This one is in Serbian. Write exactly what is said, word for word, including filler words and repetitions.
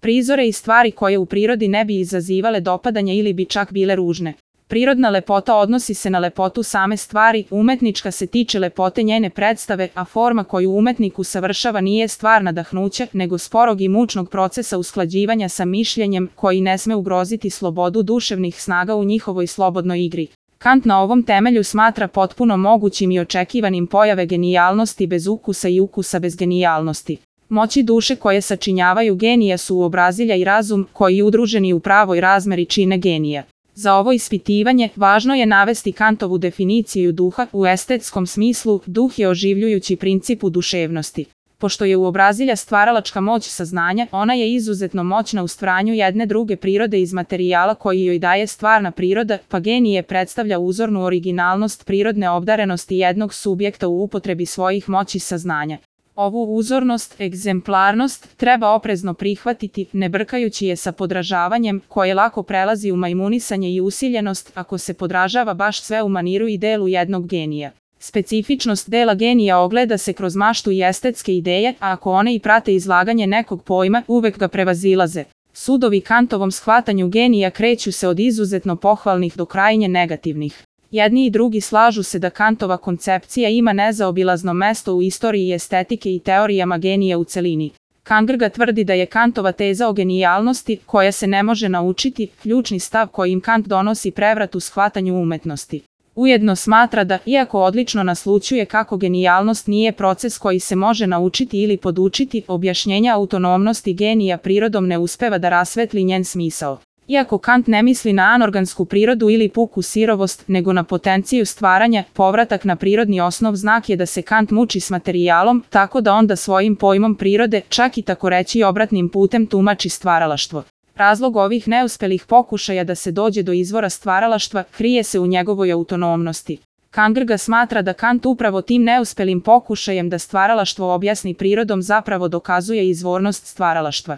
prizore i stvari koje u prirodi ne bi izazivale dopadanje ili bi čak bile ružne. Prirodna lepota odnosi se na lepotu same stvari, umetnička se tiče lepote njene predstave, a forma koju umetnik usavršava nije stvar nadahnuća, nego sporog i mučnog procesa usklađivanja sa mišljenjem, koji ne sme ugroziti slobodu duševnih snaga u njihovoj slobodnoj igri. Kant na ovom temelju smatra potpuno mogućim i očekivanim pojave genijalnosti bez ukusa i ukusa bez genijalnosti. Moći duše koje sačinjavaju genija su uobrazilja i razum, koji udruženi u pravoj razmeri čine genija. Za ovo ispitivanje važno je navesti Kantovu definiciju duha. U estetskom smislu, duh je oživljujući princip u duševnosti. Pošto je uobrazilja stvaralačka moć saznanja, ona je izuzetno moćna u stvaranju jedne druge prirode iz materijala koji joj daje stvarna priroda, pa genije predstavlja uzornu originalnost prirodne obdarenosti jednog subjekta u upotrebi svojih moći saznanja. Ovu uzornost, egzemplarnost, treba oprezno prihvatiti, ne brkajući je sa podražavanjem, koje lako prelazi u majmunisanje i usiljenost, ako se podražava baš sve u maniru i delu jednog genija. Specifičnost dela genija ogleda se kroz maštu i estetske ideje, a ako one i prate izlaganje nekog pojma, uvek ga prevazilaze. Sudovi Kantovom shvatanju genija kreću se od izuzetno pohvalnih do krajnje negativnih. Jedni i drugi slažu se da Kantova koncepcija ima nezaobilazno mesto u istoriji estetike i teorijama genija u celini. Kangrga tvrdi da je Kantova teza o genijalnosti, koja se ne može naučiti, ključni stav kojim Kant donosi prevrat u shvatanju umetnosti. Ujedno smatra da, iako odlično naslućuje kako genijalnost nije proces koji se može naučiti ili podučiti, objašnjenja autonomnosti genija prirodom ne uspeva da rasvetli njen smisao. Iako Kant ne misli na anorgansku prirodu ili puku sirovost, nego na potenciju stvaranja, povratak na prirodni osnov znak je da se Kant muči s materijalom, tako da onda svojim pojmom prirode, čak i tako reći obratnim putem, tumači stvaralaštvo. Razlog ovih neuspelih pokušaja da se dođe do izvora stvaralaštva krije se u njegovoj autonomnosti. Kangrga smatra da Kant upravo tim neuspelim pokušajem da stvaralaštvo objasni prirodom zapravo dokazuje izvornost stvaralaštva.